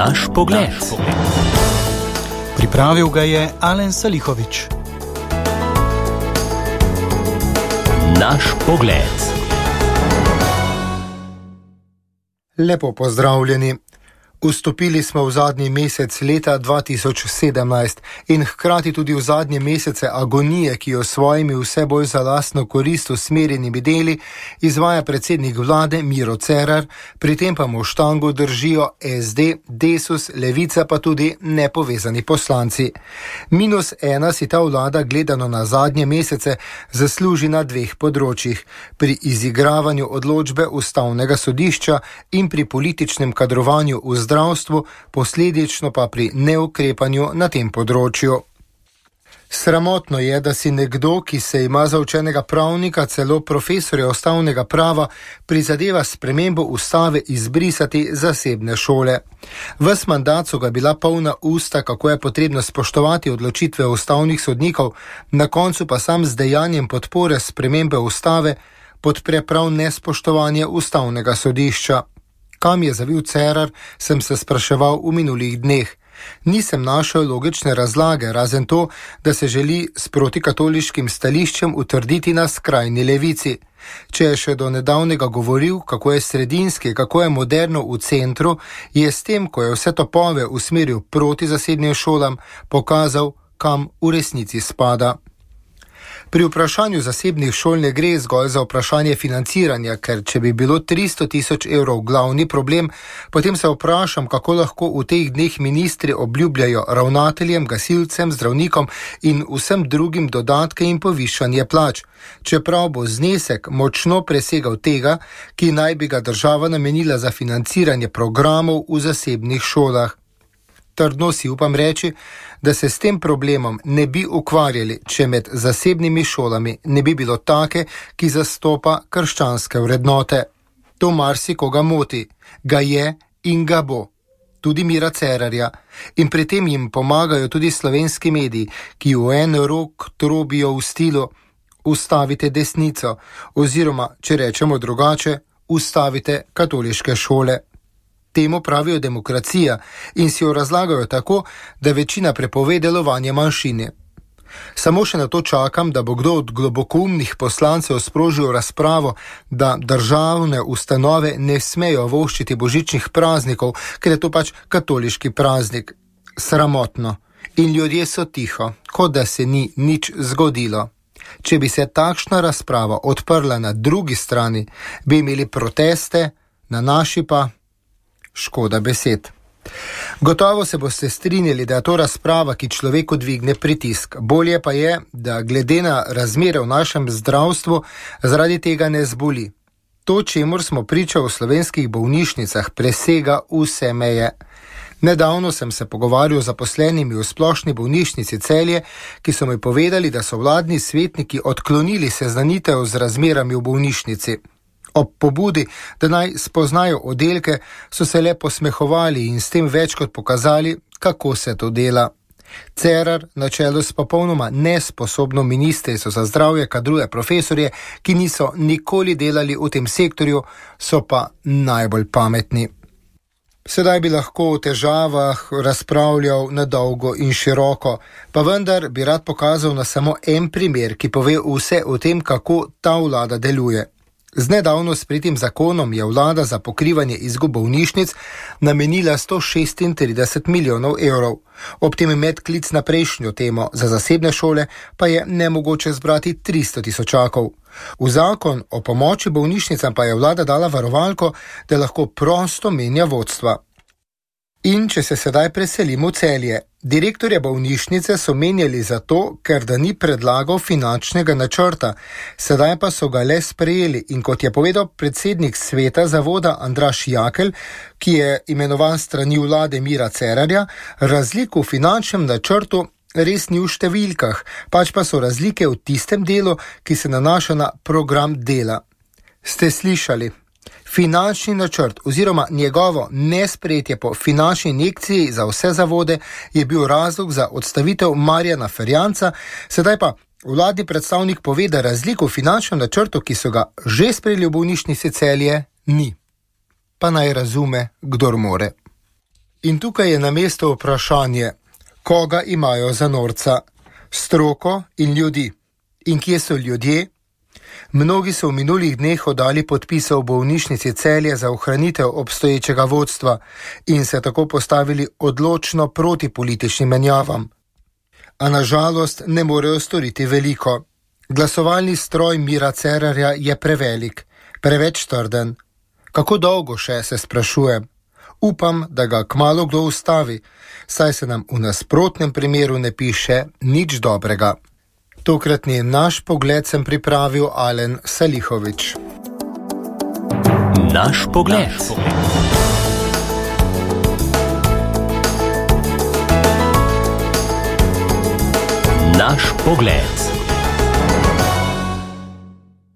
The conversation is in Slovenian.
Naš pogled. Pripravil ga je Alen Salihovič. Naš pogled. Lepo pozdravljeni. Vstopili smo v zadnji mesec leta 2017 in hkrati tudi v zadnje mesece agonije, ki jo svojimi vse bolj za lastno korist usmerjenimi deli izvaja predsednik vlade Miro Cerar, pri tem pa mu štango držijo SD, Desus, Levica pa tudi nepovezani poslanci. -1 si ta vlada gledano na zadnje mesece zasluži na dveh področjih: pri izigravanju odločbe Ustavnega sodišča in pri političnem kadrovanju v zdravstvu, posledično pa pri neukrepanju na tem področju. Sramotno je, da si nekdo, ki se ima za učenega pravnika, celo profesorja ustavnega prava, prizadeva spremembo ustave izbrisati zasebne šole. Ves mandat so ga bila polna usta, kako je potrebno spoštovati odločitve ustavnih sodnikov, na koncu pa sam z dejanjem podpore spremembe ustave podpre prav nespoštovanje ustavnega sodišča. Kam je zavil Cerar, sem se spraševal v minulih dneh. Nisem našel logične razlage, razen to, da se želi s protikatoliškim stališčem utrditi na skrajni levici. Če je še do nedavnega govoril, kako je sredinski, kako je moderno v centru, je s tem, ko je vse topove usmeril proti zasebnim šolam, pokazal, kam v resnici spada. Pri vprašanju zasebnih šol ne gre zgolj za vprašanje financiranja, ker če bi bilo 300 000 evrov glavni problem, potem se vprašam, kako lahko v teh dneh ministri obljubljajo ravnateljem, gasilcem, zdravnikom in vsem drugim dodatke in povišanje plač, čeprav bo znesek močno presegal tega, ki naj bi ga država namenila za financiranje programov v zasebnih šolah. Trdno si upam reči, da se s tem problemom ne bi ukvarjali, če med zasebnimi šolami ne bi bilo take, ki zastopa krščanske vrednote. To marsikoga moti, ga je in ga bo. Tudi Mira Cerarja. In pri tem jim pomagajo tudi slovenski mediji, ki v en rok trobijo v stilu ustavite desnico oziroma, če rečemo drugače, ustavite katoliške šole. Temu pravijo demokracija in si jo razlagajo tako, da večina prepove delovanje manjšine. Samo še na to čakam, da bo kdo od globokoumnih poslancev sprožil razpravo, da državne ustanove ne smejo voščiti božičnih praznikov, ker je to pač katoliški praznik. Sramotno. In ljudje so tiho, kot da se ni nič zgodilo. Če bi se takšna razprava odprla na drugi strani, bi imeli proteste, na naši pa škoda besed. Gotovo se boste strinjali, da je to razprava, ki človeku dvigne pritisk. Bolje pa je, da glede na razmere v našem zdravstvu zaradi tega ne zboli. To, čemur smo priča v slovenskih bolnišnicah, presega vse meje. Nedavno sem se pogovarjal z zaposlenimi v splošni bolnišnici Celje, ki so mi povedali, da so vladni svetniki odklonili seznanitev z razmerami v bolnišnici. Ob pobudi, da naj spoznajo oddelke, so se le posmehovali in s tem več kot pokazali, kako se to dela. Cerar na čelu s popolnoma nesposobno ministrico za zdravje kadruje profesorje, ki niso nikoli delali v tem sektorju, so pa najbolj pametni. Sedaj bi lahko o težavah razpravljal na dolgo in široko, pa vendar bi rad pokazal na samo en primer, ki pove vse o tem, kako ta vlada deluje. Z nedavno sprejetim zakonom je vlada za pokrivanje izgub bolnišnic namenila 136 milijonov evrov. Ob tem medklic na prejšnjo temo za zasebne šole pa je nemogoče zbrati 300 000. V zakon o pomoči bolnišnicam pa je vlada dala varovalko, da lahko prosto menja vodstva. In če se sedaj preselimo v Celje, direktorja bolnišnice so menjali zato, ker da ni predlagal finančnega načrta, sedaj pa so ga le sprejeli in kot je povedal predsednik sveta zavoda Andraž Jakelj, ki je imenovan strani vlade Mira Cerarja, razlik v finančnem načrtu res ni v številkah, pač pa so razlike v tistem delu, ki se nanaša na program dela. Ste slišali? Finančni načrt oziroma njegovo nesprejetje po finančni injekciji za vse zavode je bil razlog za odstavitev Marjana Ferjanca, sedaj pa vladni predstavnik pove, da razlik v finančnem načrtu, ki so ga že sprejeli v bolnišnici Celje, ni. Pa naj razume, kdor more. In tukaj je na mestu vprašanje, koga imajo za norca? Stroko in ljudi. In kje so ljudje? Mnogi so v minulih dneh oddali podpise v bolnišnici Celje za ohranitev obstoječega vodstva in se tako postavili odločno proti političnim menjavam. A nažalost ne morejo storiti veliko. Glasovalni stroj Mira Cerarja je prevelik, preveč trden. Kako dolgo še, se sprašujem. Upam, da ga kmalu kdo ustavi, saj se nam v nasprotnem primeru ne piše nič dobrega. Tokratni naš pogled sem pripravil Alen Salihović. Naš pogled. Naš pogled.